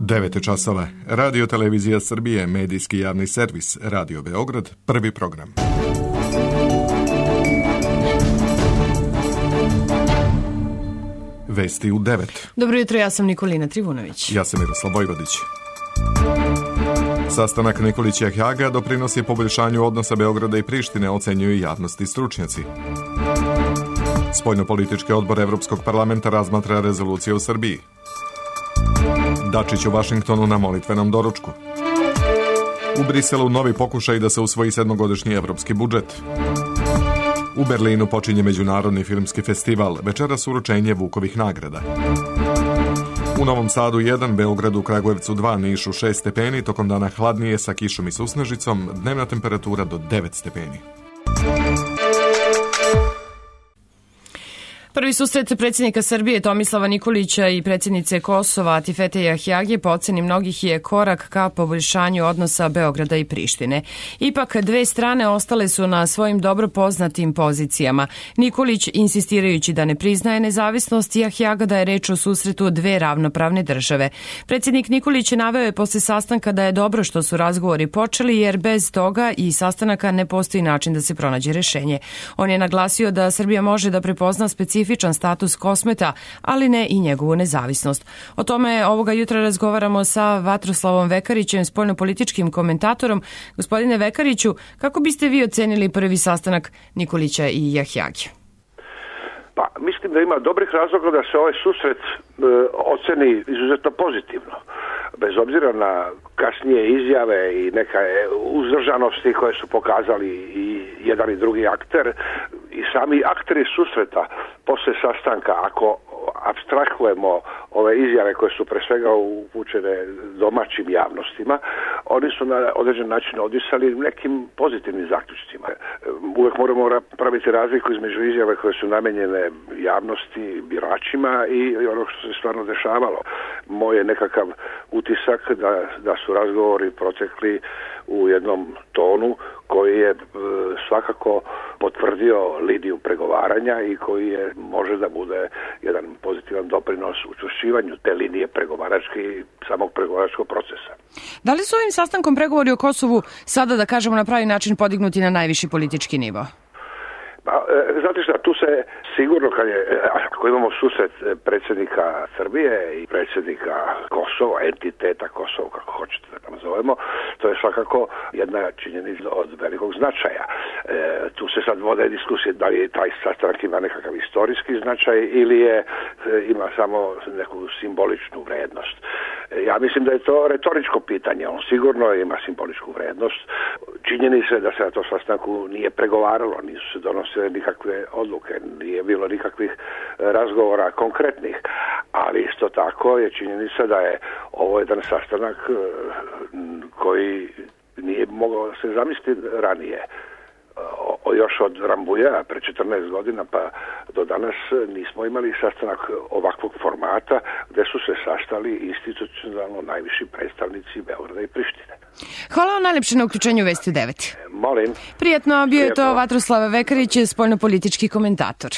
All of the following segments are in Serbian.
9 časova. Radio Televizija Srbije, medijski javni servis, Radio Beograd, prvi program. Vesti u 9. Dobro jutro, ja sam Nikolina Trivunović. Ja sam Miroslav Vojvodić. Sastanak Nikolića i Haga doprinosi poboljšanju odnosa Beograda i Prištine, ocenjuju javnost i stručnjaci. Spoljnopolitički odbor Evropskog parlamenta razmatra rezolucije u Srbiji. Dačić u Vašingtonu na molitvenom doručku. U Briselu novi pokušaj da se usvoji 7-godišnji evropski budžet. U Berlinu počinje Međunarodni filmski festival, večeras uručenje Vukovih nagrada. U Novom Sadu 1, Beogradu, Kragujevcu 2, Nišu 6 stepeni, tokom dana hladnije sa kišom i susnežicom, dnevna temperatura do 9 stepeni. Prvi susret predsjednika Srbije Tomislava Nikolića i predsjednice Kosova Atifete Jahjage po oceni mnogih je korak ka poboljšanju odnosa Beograda i Prištine. Ipak dve strane ostale su na svojim dobro poznatim pozicijama. Nikolić insistirajući da ne priznaje nezavisnost, Jahjaga da je reč o susretu dve ravnopravne države. Predsjednik Nikolić naveo je posle sastanka da je dobro što su razgovori počeli, jer bez toga i sastanaka ne postoji način da se pronađe rešenje. On je naglasio da Srbija može da prepozna specifičan status Kosmeta, ali ne i njegovu nezavisnost. O tome ovoga jutra razgovaramo sa Vatroslavom Vekarićem, spoljnopolitičkim komentatorom. Gospodine Vekariću, kako biste vi ocenili prvi sastanak Nikolića i Jahjage? Pa, mislim da ima dobrih razloga da se ovaj susret oceni izuzetno pozitivno. Bez obzira na kasnije izjave i neka uzdržanosti koje su pokazali i jedan i drugi akter i sami akteri susreta posle sastanka, ako apstrahujemo ove izjave koje su pre svega upućene domaćim javnostima, oni su na određen način odisali nekim pozitivnim zaključcima. Uvek moramo praviti razliku između izjave koje su namenjene javnosti, biračima i ono što se stvarno dešavalo. Moj je nekakav utisak da su razgovori protekli u jednom tonu koji je svakako potvrdio liniju pregovaranja i koji je može da bude jedan pozitivan doprinos učvršćivanju te linije pregovaračke i samog pregovaračkog procesa. Da li su ovim sastankom pregovori o Kosovu sada, da kažemo, na pravi način podignuti na najviši politički nivo? Pa, znate šta, tu se sigurno ako imamo susret predsjednika Srbije i predsjednika Kosova, entiteta Kosova, kako hoćete da nam zovemo, to je svakako jedna činjenica od velikog značaja. Tu se sad vode diskusije da li taj sastanak ima nekakav istorijski značaj ili ima samo neku simboličnu vrednost. Ja mislim da je to retoričko pitanje, on sigurno ima simboličku vrednost. Činjenica je da se na to sastanku nije pregovaralo, nisu se donosile nikakve odluke, nije bilo nikakvih razgovora konkretnih, ali isto tako je činjenica da je ovo jedan sastanak koji nije mogao se zamisliti ranije. Još od Rambuja pre 14 godina pa do danas nismo imali sastanak ovakvog formata gde su se sastali institucionalno najviši predstavnici Beograda i Prištine. Hvala vam najlepše na uključenju Vesti 9. Molim. Prijatno, bio je to Vatroslava Vekarić, spoljnopolitički komentator.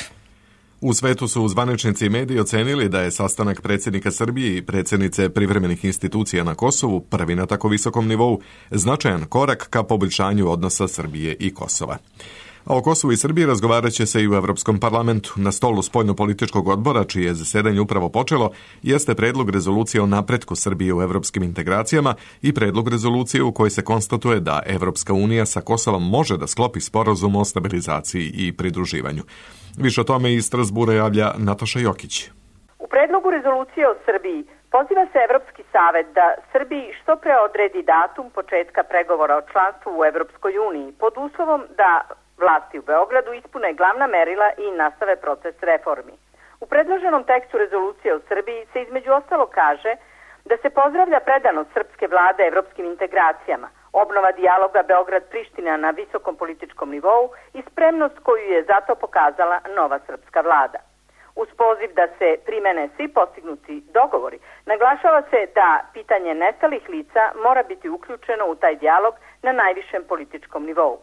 U svetu su zvaničnici i mediji ocenili da je sastanak predsjednika Srbije i predsjednice privremenih institucija na Kosovu, prvi na tako visokom nivou, značajan korak ka poboljšanju odnosa Srbije i Kosova. A o Kosovu i Srbiji razgovarat će se i u Evropskom parlamentu. Na stolu spoljnopolitičkog odbora, čije je zasedanje upravo počelo, jeste predlog rezolucije o napretku Srbije u evropskim integracijama i predlog rezolucije u kojoj se konstatuje da Evropska unija sa Kosovom može da sklopi sporazum o stabilizaciji i pridruživanju. Više o tome iz Strasbura javlja Nataša Jokić. U predlogu rezolucije o Srbiji poziva se Evropski savet da Srbiji što pre odredi datum početka pregovora o članstvu u Evropskoj uniji pod uslovom da vlasti u Beogradu ispune glavna merila i nastave proces reformi. U predloženom tekstu rezolucije o Srbiji se između ostalo kaže da se pozdravlja predanost srpske vlade evropskim integracijama, obnova dijaloga Beograd-Priština na visokom političkom nivou i spremnost koju je zato pokazala nova srpska vlada. Uz poziv da se primene svi postignuti dogovori, naglašava se da pitanje nestalih lica mora biti uključeno u taj dijalog na najvišem političkom nivou.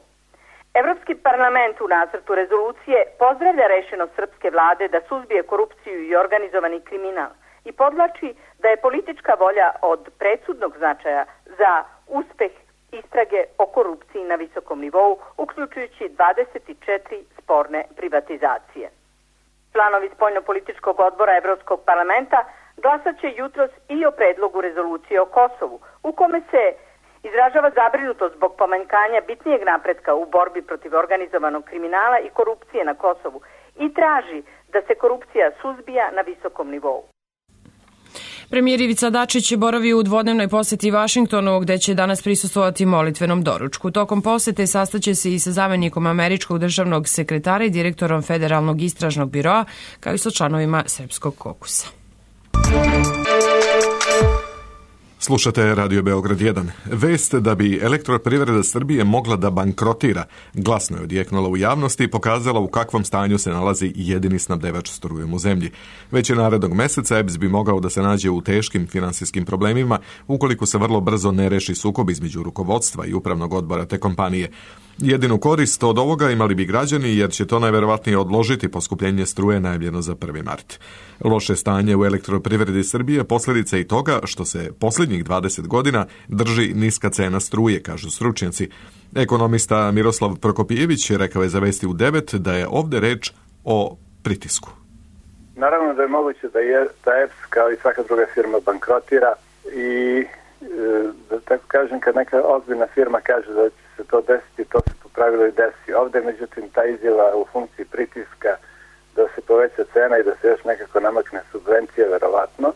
Evropski parlament u nacrtu rezolucije pozdravlja rešenost srpske vlade da suzbije korupciju i organizovani kriminal i podvlači da je politička volja od presudnog značaja za uspeh istrage o korupciji na visokom nivou, uključujući 24 sporne privatizacije. Članovi spoljnopolitičkog odbora Evropskog parlamenta glasat će jutros i o predlogu rezolucije o Kosovu, u kome se izražava zabrinutost zbog pomanjkanja bitnijeg napretka u borbi protiv organizovanog kriminala i korupcije na Kosovu i traži da se korupcija suzbija na visokom nivou. Premijer Ivica Dačić boravi u dvodnevnoj poseti Vašingtonu, gde će danas prisustvovati molitvenom doručku. Tokom posete sastaće se i sa zamenikom američkog državnog sekretara i direktorom Federalnog istražnog biroa, kao i sa članovima Srpskog kokusa. Slušate Radio Beograd 1. Vest da bi Elektroprivreda Srbije mogla da bankrotira glasno je odjeknula u javnosti i pokazala u kakvom stanju se nalazi jedini snabdevač strujom u zemlji. Već je narednog meseca EPS bi mogao da se nađe u teškim finansijskim problemima ukoliko se vrlo brzo ne reši sukob između rukovodstva i upravnog odbora te kompanije. Jedinu korist od ovoga imali bi građani jer će to najverovatnije odložiti poskupljenje struje najavljeno za 1. mart. Loše stanje u Elektroprivredi Srbije posljedica i toga što se posljednjih 20 godina drži niska cena struje, kažu stručnjaci. Ekonomista Miroslav Prokopijević rekao je za Vesti u 9 da je ovdje reč o pritisku. Naravno da je moguće da EPS kao i svaka druga firma bankrotira i da tako kažem, kad neka ozbiljna firma kaže da će se to desiti, to se po pravilu i desi. Ovdje, međutim, ta izjava u funkciji pritiska da se poveća cena i da se još nekako namakne subvencije, verovatno.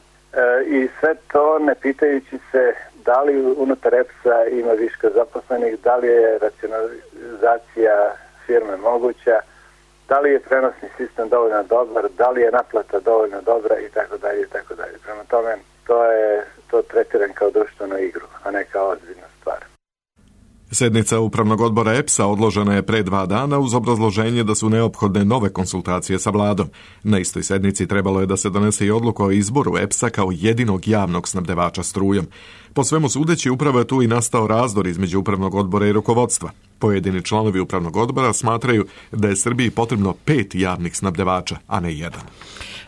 I sve to ne pitajući se da li unutar EPS-a ima viška zaposlenih, da li je racionalizacija firme moguća, da li je prenosni sistem dovoljno dobar, da li je naplata dovoljno dobra i tako dalje i tako dalje. Prema tome, to tretiram kao društvenu igru, a ne kao ozbiljna stvar. Sednica upravnog odbora EPS-a odložena je pre 2 dana uz obrazloženje da su neophodne nove konsultacije sa vladom. Na istoj sednici trebalo je da se donese i odluka o izboru EPS-a kao jedinog javnog snabdevača strujom. Po svemu sudeći, upravo je tu i nastao razdor između upravnog odbora i rukovodstva. Pojedini članovi upravnog odbora smatraju da je Srbiji potrebno 5 javnih snabdevača, a ne 1.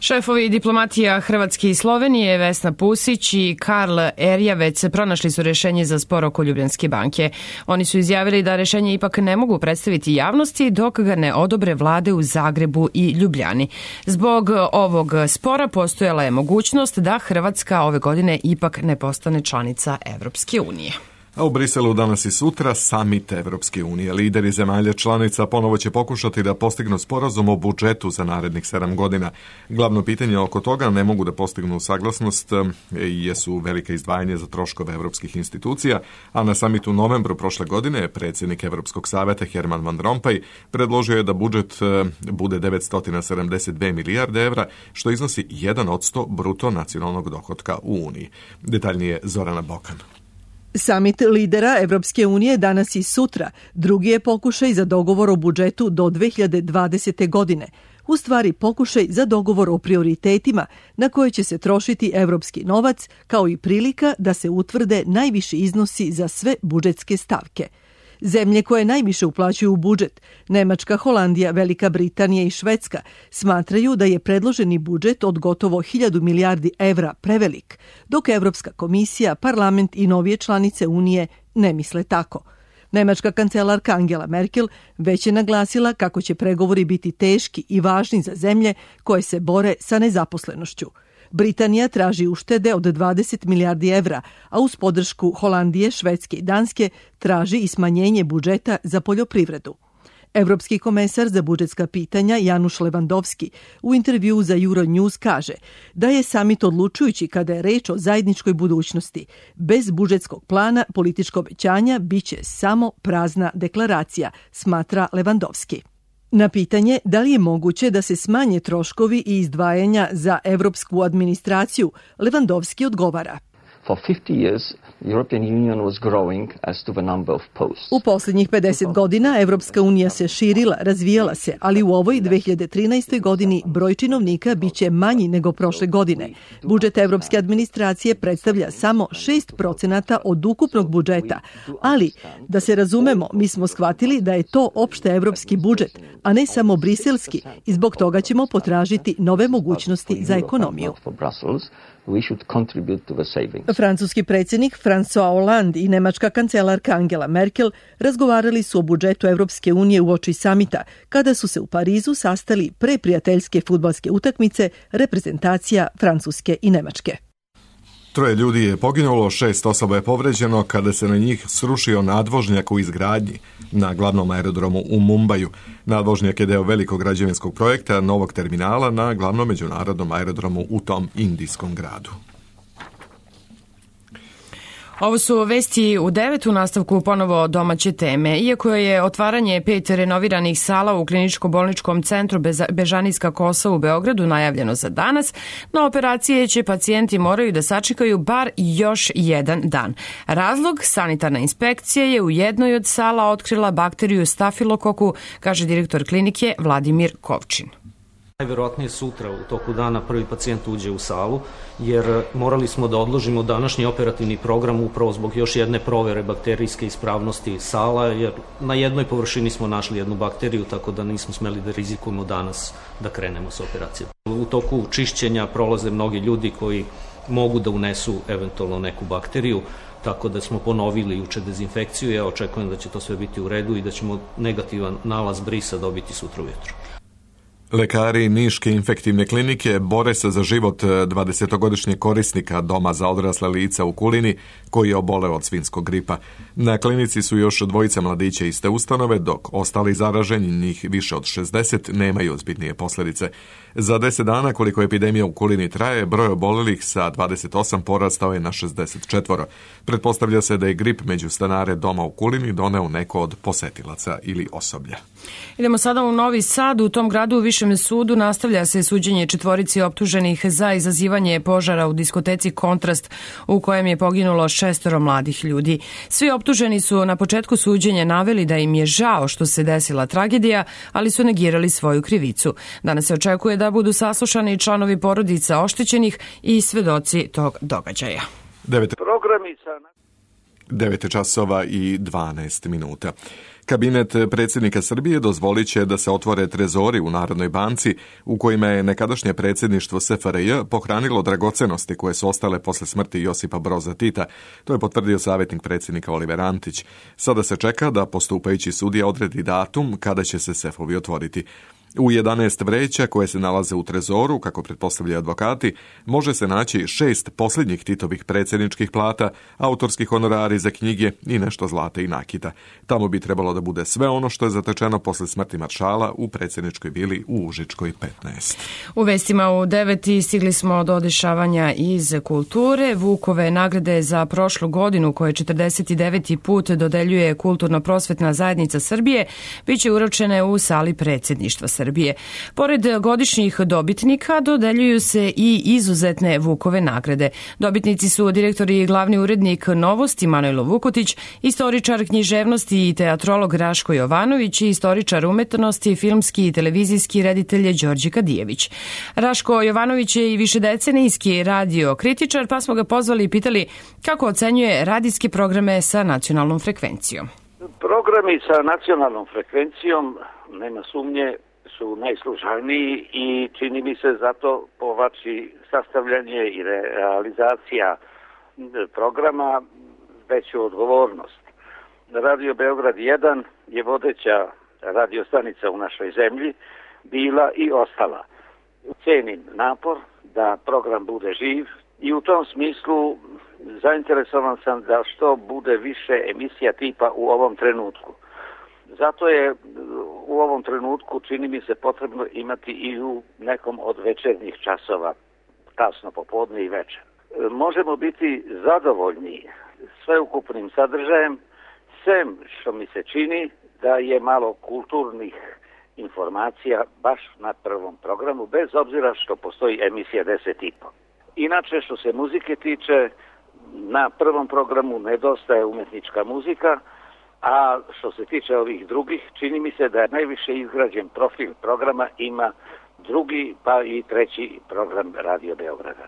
Šefovi diplomatija Hrvatske i Slovenije Vesna Pusić i Karl Erjavec pronašli su rešenje za spor oko Ljubljanske banke. Oni su izjavili da rešenje ipak ne mogu predstaviti javnosti dok ga ne odobre vlade u Zagrebu i Ljubljani. Zbog ovog spora postojala je mogućnost da Hrvatska ove godine ipak ne postane članica Evropske unije. A u Briselu danas i sutra samit Evropske unije. Lideri zemalja članica ponovo će pokušati da postignu sporazum o budžetu za narednih 7 godina. Glavno pitanje oko toga ne mogu da postignu saglasnost jesu velike izdvajanje za troškove evropskih institucija, a na samitu u novembru prošle godine predsjednik Evropskog saveta Herman Van Rompuy predložio je da budžet bude 972 milijarde evra, što iznosi 1% bruto nacionalnog dohotka u Uniji. Detaljnije Zorana Bokan. Samit lidera Evropske unije danas i sutra drugi je pokušaj za dogovor o budžetu do 2020. godine. U stvari pokušaj za dogovor o prioritetima na koje će se trošiti evropski novac, kao i prilika da se utvrde najviši iznosi za sve budžetske stavke. Zemlje koje najviše uplaćuju u budžet, Nemačka, Holandija, Velika Britanija i Švedska, smatraju da je predloženi budžet od gotovo 1000 milijardi evra prevelik, dok Evropska komisija, parlament i novije članice Unije ne misle tako. Nemačka kancelarka Angela Merkel već je naglasila kako će pregovori biti teški i važni za zemlje koje se bore sa nezaposlenošću. Britanija traži uštede od 20 milijardi evra, a uz podršku Holandije, Švedske i Danske traži i smanjenje budžeta za poljoprivredu. Evropski komesar za budžetska pitanja Januš Lewandowski u intervjuu za Euronews kaže da je samit odlučujući kada je reč o zajedničkoj budućnosti. Bez budžetskog plana političko obećanja biće samo prazna deklaracija, smatra Lewandowski. Na pitanje da li je moguće da se smanje troškovi i izdvajanja za evropsku administraciju, Lewandowski odgovara. U posljednjih 50 godina Evropska unija se širila, razvijala se, ali u ovoj 2013. godini broj činovnika biće manji nego prošle godine. Budžet evropske administracije predstavlja samo 6% od ukupnog budžeta, ali da se razumemo, mi smo shvatili da je to opšte evropski budžet, a ne samo briselski, i zbog toga ćemo potražiti nove mogućnosti za ekonomiju. we should contribute to the savings. Francuski predsjednik François Hollande i nemačka kancelarka Angela Merkel razgovarali su o budžetu Evropske unije uoči samita, kada su se u Parizu sastali pre prijateljske fudbalske utakmice reprezentacija Francuske i Nemačke. 3 ljudi je poginulo, 6 osoba je povređeno kada se na njih srušio nadvožnjak u izgradnji na glavnom aerodromu u Mumbaju. Nadvožnjak je deo velikog građevinskog projekta novog terminala na glavnom međunarodnom aerodromu u tom indijskom gradu. Ovo su vesti u 9. nastavku ponovo domaće teme. Iako je otvaranje 5 renoviranih sala u kliničko-bolničkom centru Bežanijska Kosa u Beogradu najavljeno za danas, na operacije će pacijenti moraju da sačekaju bar još jedan dan. Razlog, sanitarna inspekcija je u jednoj od sala otkrila bakteriju stafilokoku, kaže direktor klinike Vladimir Kovčin. Najverovatnije sutra u toku dana prvi pacijent uđe u salu, jer morali smo da odložimo današnji operativni program upravo zbog još jedne provere bakterijske ispravnosti sala, jer na jednoj površini smo našli jednu bakteriju, tako da nismo smeli da rizikujemo danas da krenemo sa operacijom. U toku čišćenja prolaze mnogi ljudi koji mogu da unesu eventualno neku bakteriju, tako da smo ponovili juče dezinfekciju. Ja očekujem da će to sve biti u redu i da ćemo negativan nalaz brisa dobiti sutra ujutro. Lekari Niške infektivne klinike bore se za život 20-godišnjeg korisnika doma za odrasla lica u Kulini koji je oboleo od svinjskog gripa. Na klinici su još 2 mladića iste ustanove, dok ostali zaraženi, njih više od 60, nemaju ozbiljnije posljedice. Za 10 dana koliko epidemija u Kulini traje, broj obolelih sa 28 porastao je na 64. Pretpostavlja se da je grip među stanare doma u Kulini doneo neko od posetilaca ili osoblja. Idemo sada u Novi Sad. U tom gradu u Višem sudu nastavlja se suđenje 4 optuženih za izazivanje požara u diskoteci Kontrast u kojem je poginulo 6 mladih ljudi. Svi optuženi su na početku suđenja naveli da im je žao što se desila tragedija, ali su negirali svoju krivicu. Danas se očekuje da budu saslušani članovi porodica oštećenih i svedoci tog događaja. 9 časova i 12 minuta. Kabinet predsjednika Srbije dozvolit će da se otvore trezori u Narodnoj banci u kojima je nekadašnje predsjedništvo SFRJ pohranilo dragocenosti koje su ostale posle smrti Josipa Broza Tita. To je potvrdio savjetnik predsjednika Oliver Antić. Sada se čeka da postupajući sudija odredi datum kada će se sefovi otvoriti. U 11 vreća koje se nalaze u trezoru, kako pretpostavljaju advokati, može se naći 6 posljednjih Titovih predsjedničkih plata, autorskih honorari za knjige i nešto zlata i nakita. Tamo bi trebalo da bude sve ono što je zatečeno posle smrti maršala u predsjedničkoj vili u Užičkoj 15. U vestima u 9 stigli smo do dešavanja iz kulture. Vukove nagrade za prošlu godinu, koje 49. put dodeljuje Kulturno-prosvetna zajednica Srbije, biće uručene u sali predsjedništva Srbije. Pored godišnjih dobitnika dodeljuju se i izuzetne Vukove nagrade. Dobitnici su direktor i glavni urednik Novosti Manojlo Vukotić, istoričar književnosti i teatrolog Raško Jovanović i istoričar umetnosti, filmski i televizijski reditelj Đorđe Kadijević. Raško Jovanović je i višedecenijski radio kritičar, pa smo ga pozvali i pitali kako ocenjuje radijske programe sa nacionalnom frekvencijom. Programi sa nacionalnom frekvencijom, nema sumnje, su najslušaniji i čini mi se zato povlači sastavljanje i realizacija programa veću odgovornost. Radio Beograd 1 je vodeća radiostanica u našoj zemlji, bila i ostala. Cenim napor da program bude živ i u tom smislu zainteresovan sam da što bude više emisija tipa u ovom trenutku. Zato je u ovom trenutku, čini mi se, potrebno imati i u nekom od večernjih časova, kasno popodne i večer. Možemo biti zadovoljni sveukupnim sadržajem, sem što mi se čini da je malo kulturnih informacija baš na prvom programu, bez obzira što postoji emisija 10,5. Inače, što se muzike tiče, na prvom programu nedostaje umetnička muzika, a što se tiče ovih drugih, čini mi se da je najviše izgrađen profil programa ima drugi pa i treći program Radio Beograda.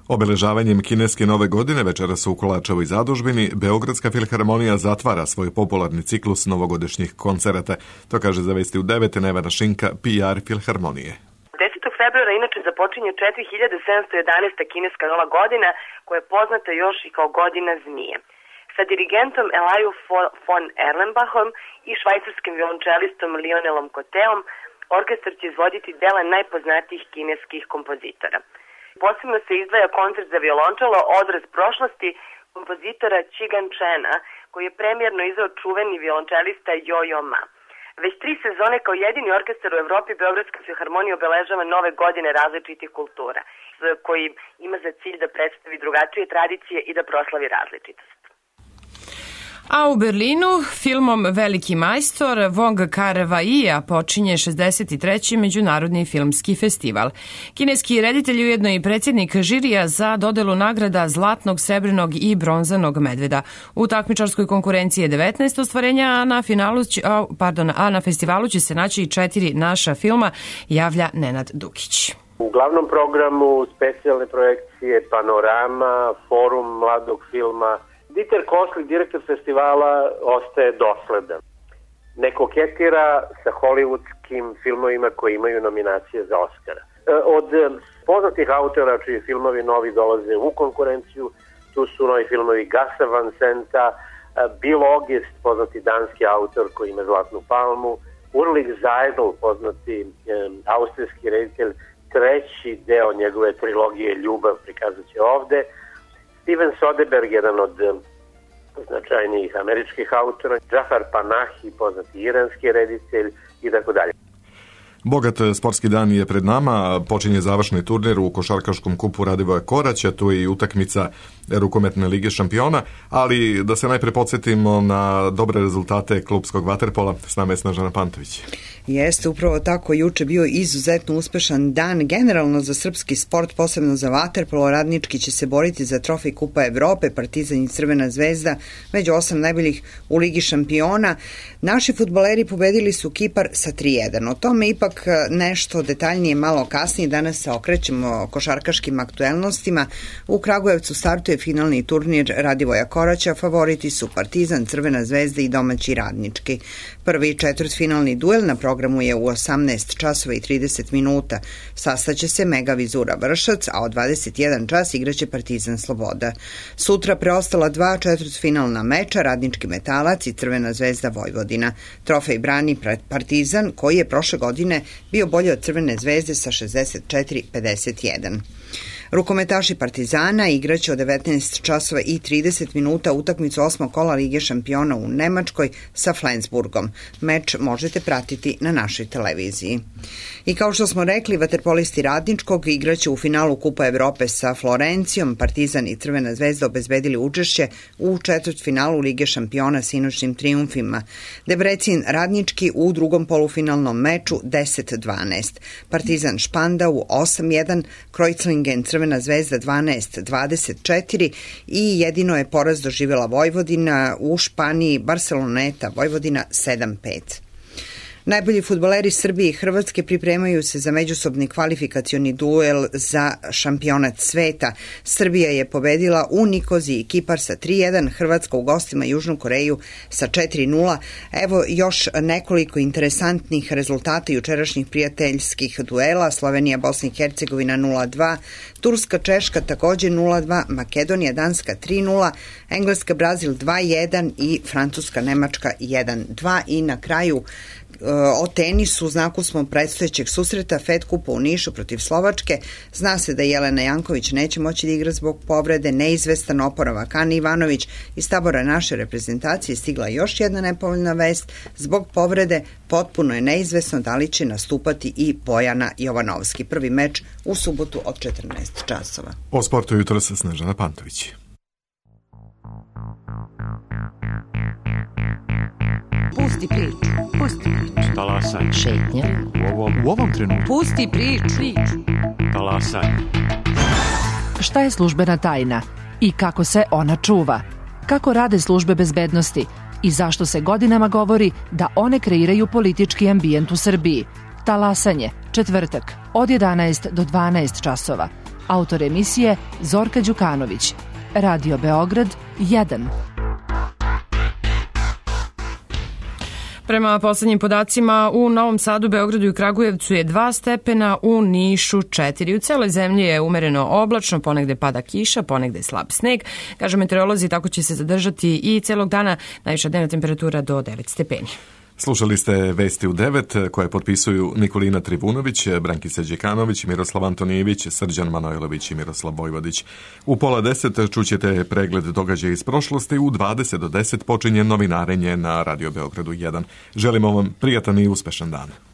Obeležavanjem kineske nove godine večeras u Kolačevoj zadužbini Beogradska filharmonija zatvara svoj popularni ciklus novogodišnjih koncerata. To kaže za vesti u 9 Nevena Šinka, PR Filharmonije. 10. februara Udžara inače započinje 4711. kineska nova godina, koja je poznata još i kao godina zmije. Sa dirigentom Elaju von Erlenbachom i švajcarskim violončelistom Lionelom Coteom, orkestar će izvoditi dela najpoznatijih kineskih kompozitora. Posebno se izdvaja koncert za violončelo, odraz prošlosti kompozitora Qigan Chena, koji je premijerno izveo čuveni violončelista Yo-Yo Ma. Već 3 sezone kao jedini orkestar u Evropi Beogradska filharmonija obeležava nove godine različitih kultura, koji ima za cilj da predstavi drugačije tradicije i da proslavi različitost. A u Berlinu filmom Veliki majstor Wong Kar-wai počinje 63. Međunarodni filmski festival. Kineski reditelj ujedno i predsjednik žirija za dodelu nagrada zlatnog, srebrnog i bronzanog medveda. U takmičarskoj konkurenciji je 19 ostvarenja, a na festivalu će se naći i 4 naša filma, javlja Nenad Dukić. U glavnom programu specijalne projekcije, panorama, forum mladog filma. Dieter Koslik, direktor festivala, ostaje dosledan. Ne koketira sa hollywoodskim filmovima koji imaju nominacije za Oscara. Od poznatih autora čiji filmovi novi dolaze u konkurenciju, tu su novi filmovi Gasa Van Senta, Bill August, poznati danski autor koji ima Zlatnu palmu, Ulrich Seidel, poznati austrijski reditelj, 3. deo njegove trilogije Ljubav prikazat će ovde, Steven Soderbergh, jedan od značajnijih američkih autora, Džafar Panahi, poznati iranski reditelj i tako dalje. Bogat sportski dan je pred nama, počinje završni turnir u košarkaškom kupu Radivoja Koraća, tu je i utakmica rukometne lige šampiona, ali da se najpre podsjetimo na dobre rezultate klupskog vaterpola. S nama je Snežana Pantović. Jeste, upravo tako, juče bio izuzetno uspešan dan generalno za srpski sport, posebno za vaterpolo. Radnički će se boriti za trofej Kupa Evrope, Partizan i Crvena zvezda među 8 najboljih u Ligi šampiona. Naši fudbaleri pobedili su Kipar sa 3-1. O tome ipak nešto detaljnije malo kasnije. Danas se okrećemo košarkaškim aktuelnostima. U Kragujevcu startuje finalni turnir Radivoja Koraća. Favoriti su Partizan, Crvena zvezda i domaći Radnički. Prvi četvrtfinalni duel na programu je u 18 časova i 30 minuta. Sastaće se Mega Vizura Vršac, a od 21 čas igraće Partizan Sloboda. Sutra preostala 2 četvrtfinalna meča, Radnički Metalac i Crvena zvezda Vojvodina. Trofej brani Partizan, koji je prošle godine bio bolji od Crvene zvezde sa 64-51. Rukometaši Partizana igraće od 19 časova i 30 minuta utakmicu 8. kola Lige šampiona u Nemačkoj sa Flensburgom. Meč možete pratiti na našoj televiziji. I kao što smo rekli, vaterpolisti Radničkog igraće u finalu Kupa Evrope sa Florencijom. Partizan i Crvena zvezda obezbedili učešće u četvrtfinalu Lige šampiona sinoćnim trijumfima. Debrecin Radnički u drugom polufinalnom meču 10-12. Partizan Špandau 8-1, Kreuzlingen Crvena zvezda 12-24 i jedino je poraz doživjela Vojvodina u Španiji, Barceloneta Vojvodina 7-5. Najbolji fudbaleri Srbije i Hrvatske pripremaju se za međusobni kvalifikacioni duel za šampionat sveta. Srbija je pobedila u Nikoziji Kipar sa 3-1, Hrvatska u gostima Južnu Koreju sa 4-0. Evo još nekoliko interesantnih rezultata jučerašnjih prijateljskih duela. Slovenija, Bosna i Hercegovina 0-2, Turska, Češka također 0-2, Makedonija, Danska 3-0, Engleska, Brazil 2-1 i Francuska, Nemačka 1-2. I na kraju o tenisu, u znaku smo predstojećeg susreta Fed Kupa u Nišu protiv Slovačke. Zna se da Jelena Janković neće moći da igra zbog povrede, neizvestan oporavak Ani Ivanović. Iz tabora naše reprezentacije stigla još jedna nepovoljna vest. Zbog povrede potpuno je neizvesno da li će nastupati i Bojana Jovanovski. Prvi meč u subotu od 14 časova. O sportu jutro sa Snežana Pantović. Pusti priču, pusti priču. Talasaj. Šetnja. U ovom trenutku. Pusti priču. Talasaj. Šta je službena tajna i kako se ona čuva? Kako rade službe bezbednosti i zašto se godinama govori da one kreiraju politički ambijent u Srbiji? Talasanje, četvrtak, od 11 do 12 časova. Autor emisije Zorka Đukanović. Radio Beograd 1. Prema poslednjim podacima, u Novom Sadu, Beogradu i Kragujevcu je 2 stepena, u Nišu 4. U celoj zemlji je umereno oblačno, ponegde pada kiša, ponegde slab sneg. Kažu meteorolozi, tako će se zadržati i celog dana, najviša dnevna temperatura do 9 stepeni. Slušali ste Vesti u 9 koje potpisuju Nikolina Trivunović, Brankica Đekanović, Miroslav Antonijević, Srđan Manojlović i Miroslav Vojvodić. U 9:30 čućete pregled događaja iz prošlosti, u 20 do 10 počinje novinarenje na Radio Beogradu 1. Želimo vam prijatan i uspešan dan.